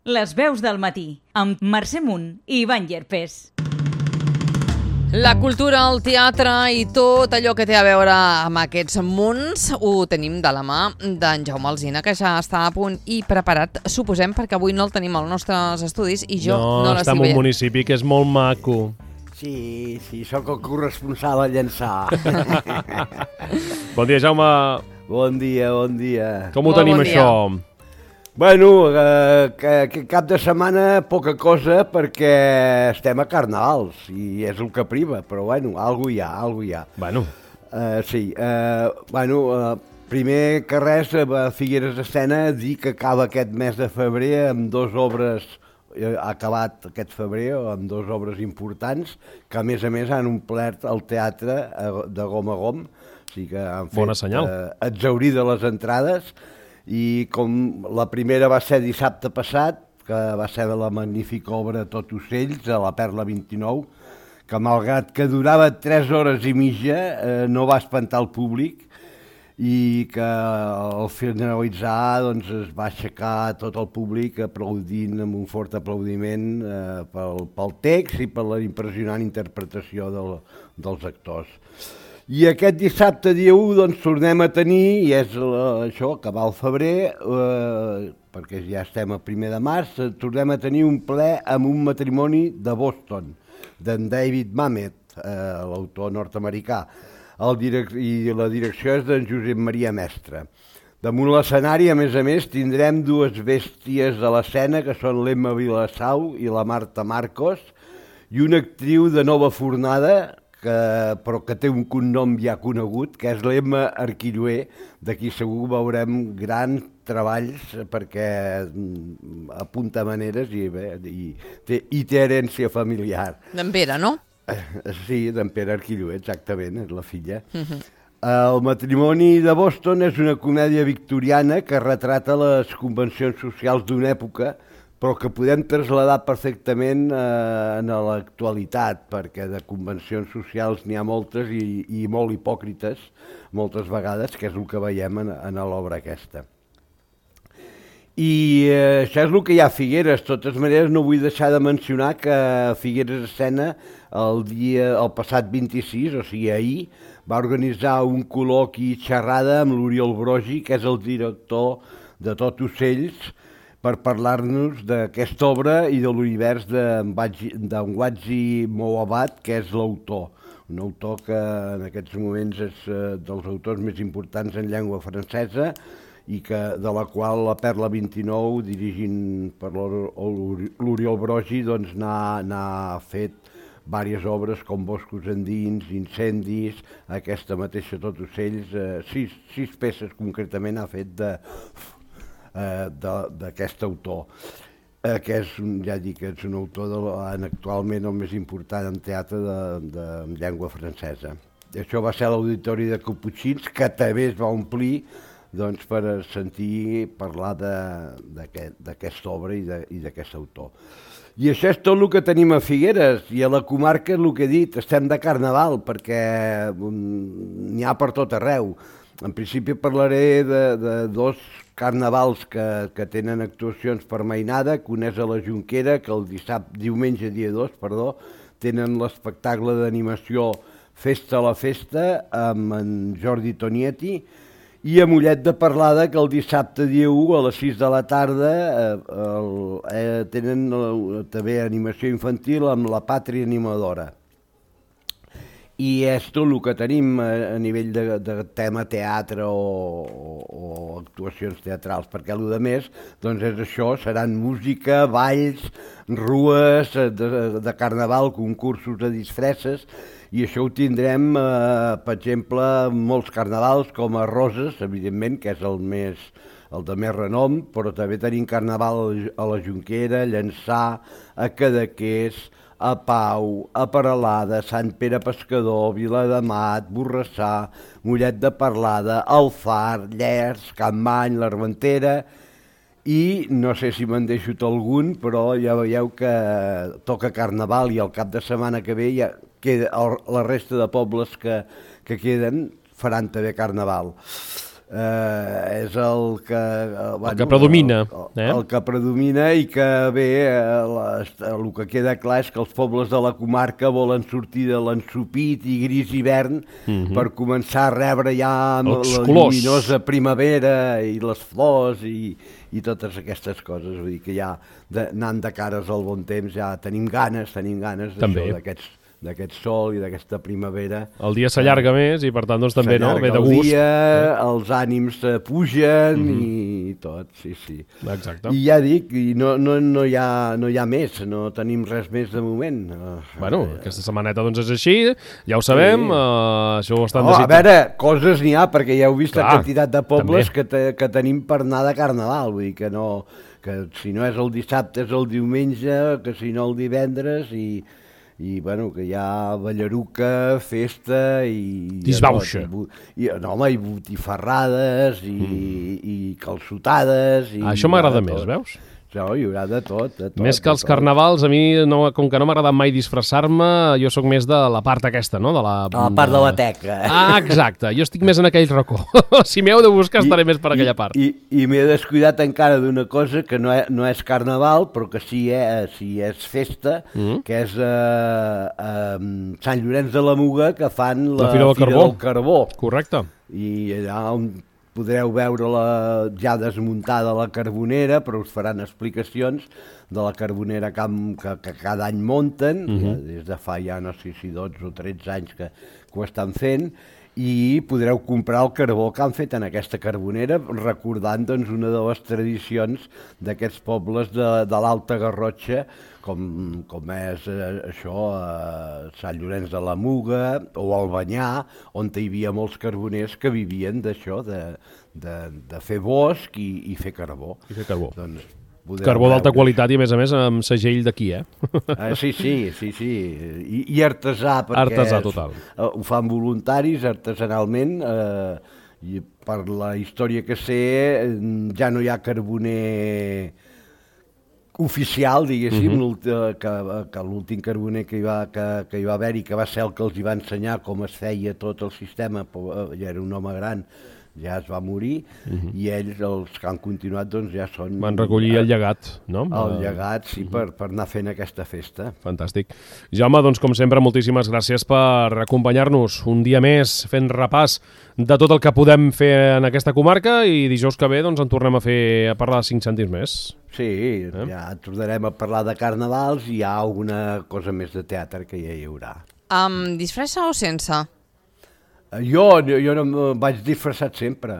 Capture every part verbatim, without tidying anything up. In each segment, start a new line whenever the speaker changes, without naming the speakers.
Les veus del matí, amb Mercè Munt i Ivan Llerpés.
La cultura, el teatre i tot allò que té a veure amb aquests munts ho tenim de la mà d'en Jaume Alsina, que ja està a punt i preparat, suposem, perquè avui no el tenim als nostres estudis i jo no,
no
l'estic
està en un
veient.
municipi que és molt maco.
Sí, sí, sóc el corresponsal a llençar.
Bon dia, Jaume.
Bon dia, bon dia.
Com ho
Molt
tenim,
bon dia.
això?
Bueno, eh, que, que cap de setmana poca cosa perquè estem a carnavals i és el que priva, però bueno, algo hi ha, algo hi ha.
Bueno,
Uh, sí, uh, bueno, uh, primer que res, a Figueres d'Escena, dir que acaba aquest mes de febrer amb dues obres, eh, ha acabat aquest febrer amb dues obres importants, que a més a més han omplert el teatre eh, de gom a gom, o sigui que han
Bona
fet
senyal.
eh, exhaurir de les entrades, i com la primera va ser dissabte passat, que va ser la magnífica obra Tot ocells, a la Perla vint-i-nou, que malgrat que durava tres hores i mitja eh, no va espantar el públic i que al finalitzar doncs, es va aixecar tot el públic aplaudint amb un fort aplaudiment eh, pel, pel text i per la impressionant interpretació del, dels actors. I aquest dissabte, dia u, doncs, tornem a tenir, i és la, això, acabar el febrer, eh, perquè ja estem a primer de març, eh, tornem a tenir un ple amb un matrimoni de Boston, d'en David Mamet, eh, l'autor nord-americà, el direc i la direcció és d'en Josep Maria Mestre. Damunt l'escenari, a més a més, tindrem dues bèsties a l'escena, que són l'Emma Vilassau i la Marta Marcos, i una actriu de nova fornada, que, però que té un cognom ja conegut, que és l'Emma Arquilloé, d'aquí segur veurem grans treballs perquè mm, apunta maneres i, bé, i, té, i té herència familiar.
D'en Pere, no?
Eh, Sí, d'en Pere Arquilloé, exactament, és la filla. Uh-huh. El matrimoni de Boston és una comèdia victoriana que retrata les convencions socials d'una època, però que podem traslladar perfectament eh, en l'actualitat, perquè de convencions socials n'hi ha moltes i, i molt hipòcrites, moltes vegades, que és el que veiem en, en l'obra aquesta. I eh, això és el que hi ha a Figueres. De totes maneres, no vull deixar de mencionar que a Figueres Escena, el, dia, el passat vint-i-sis, o sigui ahir, va organitzar un col·loqui i xerrada amb l'Oriol Brogi, que és el director de Tot ocells, per parlar-nos d'aquesta obra i de l'univers d'en Watji Mowabat, que és l'autor. Un autor que en aquests moments és eh, dels autors més importants en llengua francesa i que, de la qual la Perla vint-i-nou, dirigint per l'Oriol Brogi, doncs n'ha fet diverses obres com Boscos endins, Incendis, aquesta mateixa Tot ocells, eh, sis, sis peces concretament ha fet de... d'aquest autor, eh, que és, ja dic, és un autor de, en, actualment el més important en teatre de, de, de llengua francesa. I això va ser l'auditori de Caputxins, que també es va omplir doncs, per sentir parlar d'aquesta obra i d'aquest autor. I això és tot el que tenim a Figueres, i a la comarca, el que he dit, estem de carnaval, perquè n'hi ha per tot arreu. En principi parlaré de, de dos carnavals que, que tenen actuacions per mainada, que un és a la Jonquera, que el dissabte, diumenge dia dos, perdó, tenen l'espectacle d'animació Festa a la Festa amb en Jordi Tonietti, i a Mollet de Parlada, que el dissabte dia u a les sis de la tarda eh, el, eh, tenen eh, també animació infantil amb la Pàtria Animadora. I és tot el que tenim a nivell de, de tema teatre o, o, o actuacions teatrals, perquè el que més doncs és això, seran música, balls, rues de, de carnaval, concursos de disfresses, i això ho tindrem, eh, per exemple, en molts carnavals, com a Roses, evidentment, que és el, més, el de més renom, però també tenim carnaval a la Jonquera, Llançà, a Cadaqués, a Pau, a Peralada, Sant Pere Pescador, Viladamat, Borrassà, Mollet de Parlada, El Far, Llers, Campmany, l'Armentera, i no sé si me'n deixo algun, però ja veieu que toca carnaval i el cap de setmana que ve ja queda, la resta de pobles que, que queden faran també carnaval. eh, és el que... Eh, bueno,
el que predomina.
El,
eh?
el que predomina i que bé, eh, les, el que queda clar és que els pobles de la comarca volen sortir de l'ensopit i gris hivern mm-hmm. per començar a rebre ja
els
la
colors.
lluminosa primavera i les flors i, i totes aquestes coses. Vull dir que ja de, anant de cares al bon temps ja tenim ganes, tenim ganes d'aquests d'aquest sol i d'aquesta primavera.
El dia s'allarga eh, més i per tant doncs també no, ve de gust.
El dia, eh? els ànims pugen mm-hmm. i tot, sí, sí.
Exacte.
I ja dic, i no, no, no, hi ha, no hi ha més, no tenim res més de moment.
Bueno, aquesta setmaneta doncs és així, ja ho sabem, sí. uh, això ho estan
no,
desitjant.
A veure, coses n'hi ha, perquè ja heu vist Clar, la quantitat de pobles que, te, que tenim per anar de Carnaval, vull dir que no, que si no és el dissabte és el diumenge, que si no el divendres i... i bueno, que hi ha ballaruca, festa i...
Disbauxa.
I, i, no, home, i botifarrades i, mm. i calçotades... I
Això m'agrada més, veus?
No, hi haurà de tot, de tot.
Més que els carnavals, a mi, no, com que no m'ha agradat mai disfressar-me, jo sóc més de la part aquesta, no? De la,
a la part de, de la teca.
Ah, exacte, jo estic més en aquell racó. Si m'heu de buscar, estaré I, més per aquella part.
I, i, i m'he descuidat encara d'una cosa que no, és, no és carnaval, però que sí, eh, sí és festa, mm. que és eh, eh, Sant Llorenç de la Muga, que fan la,
la Fira, del,
Fira
Carbó.
del Carbó.
Correcte.
I allà on podreu veure-la ja desmuntada la carbonera, però us faran explicacions de la carbonera que, que, que cada any munten, uh-huh. des de fa ja no sé si dotze o tretze anys que, que ho estan fent, i podreu comprar el carbó que han fet en aquesta carbonera, recordant doncs, una de les tradicions d'aquests pobles de, de l'Alta Garrotxa, com, com és eh, això, eh, Sant Llorenç de la Muga o Albanyà, on hi havia molts carboners que vivien d'això, de, de, de fer bosc i, i fer carbó.
I fer carbó.
Doncs,
carbó d'alta qualitat i, a més a més, amb segell d'aquí, eh?
Ah, sí, sí, sí, sí. I, i artesà, perquè
artesà, total.
És, uh, ho fan voluntaris artesanalment, eh, i per la història que sé, ja no hi ha carboner oficial, diguéssim, uh-huh. que, que l'últim carboner que hi, va, que, que hi va haver i que va ser el que els hi va ensenyar com es feia tot el sistema, ja era un home gran, ja es va morir, uh-huh. i ells, els que han continuat, doncs ja són...
Van recollir el llegat, no?
El llegat, sí, uh-huh. per, per anar fent aquesta festa.
Fantàstic. Jaume, doncs com sempre, moltíssimes gràcies per acompanyar-nos un dia més fent repàs de tot el que podem fer en aquesta comarca i dijous que ve doncs en tornem a fer a parlar de cinc cèntims més.
Sí, eh? ja tornarem a parlar de carnavals i hi ha alguna cosa més de teatre que ja hi haurà.
Amb disfressa o sense?
Jo, jo no em vaig disfressat sempre.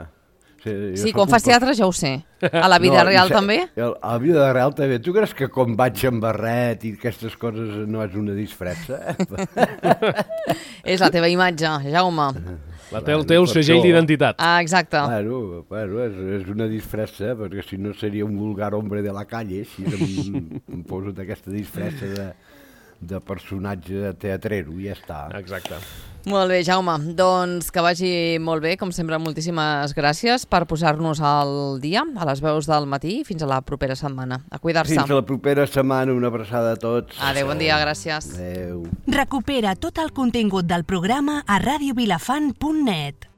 Sí, sí quan fas teatre ja ho sé. A la vida no, real sé, també?
A la vida real també. Tu creus que quan vaig amb barret i aquestes coses no és una disfressa?
És la teva imatge, Jaume.
La té el teu segell d'identitat.
Ah, exacte.
Bueno, bueno és, és una disfressa, perquè si no seria un vulgar hombre de la calle, si em, em poso d'aquesta disfressa de, de personatge teatrero i ja està.
Exacte.
Molt bé, Jaume. Doncs que vagi molt bé, com sempre, moltíssimes gràcies per posar-nos al dia, a les veus del matí, fins a la propera setmana. A cuidar-se.
Fins a la propera setmana, una abraçada a tots.
Adéu, bon dia, gràcies.
Adéu.
Recupera tot el contingut del programa a radio vilafant punt net.